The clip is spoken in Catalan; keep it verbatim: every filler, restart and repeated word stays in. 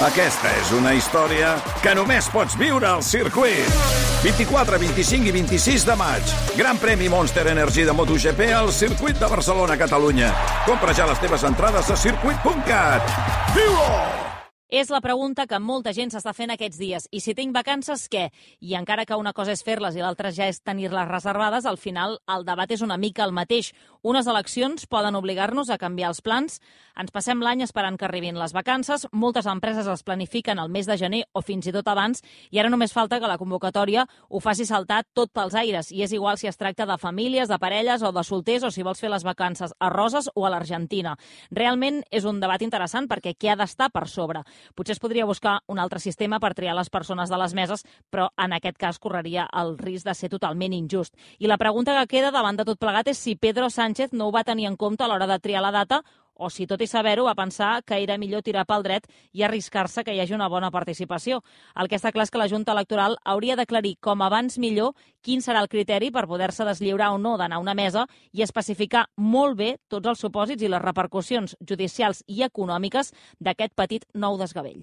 Aquesta és una història que només pots viure al circuit. vint-i-quatre, vint-i-cinc i vint-i-sis de maig. Gran premi Monster Energy de MotoGP al circuit de Barcelona, Catalunya. Compra ja les teves entrades a circuit punt cat. Viu-ho! És la pregunta que molta gent s'està fent aquests dies. I si tinc vacances, què? I encara que una cosa és fer-les i l'altra ja és tenir-les reservades, al final el debat és una mica el mateix. Unes eleccions poden obligar-nos a canviar els plans. Ens passem l'any esperant que arribin les vacances. Moltes empreses les planifiquen al mes de gener o fins i tot abans, i ara només falta que la convocatòria ho faci saltar tot pels aires. I és igual si es tracta de famílies, de parelles o de solters, o si vols fer les vacances a Roses o a l'Argentina. Realment és un debat interessant perquè què ha d'estar per sobre? Potser es podria buscar un altre sistema per triar les persones de les meses, però en aquest cas correria el risc de ser totalment injust. I la pregunta que queda davant de tot plegat és si Pedro Sánchez no ho va tenir en compte a l'hora de triar la data, o si tot i saber-ho va pensar que era millor tirar pel dret i arriscar-se que hi hagi una bona participació. El que està clar és que la Junta Electoral hauria d'aclarir com abans millor quin serà el criteri per poder-se deslliurar o no d'anar a una mesa i especificar molt bé tots els supòsits i les repercussions judicials i econòmiques d'aquest petit nou desgavell.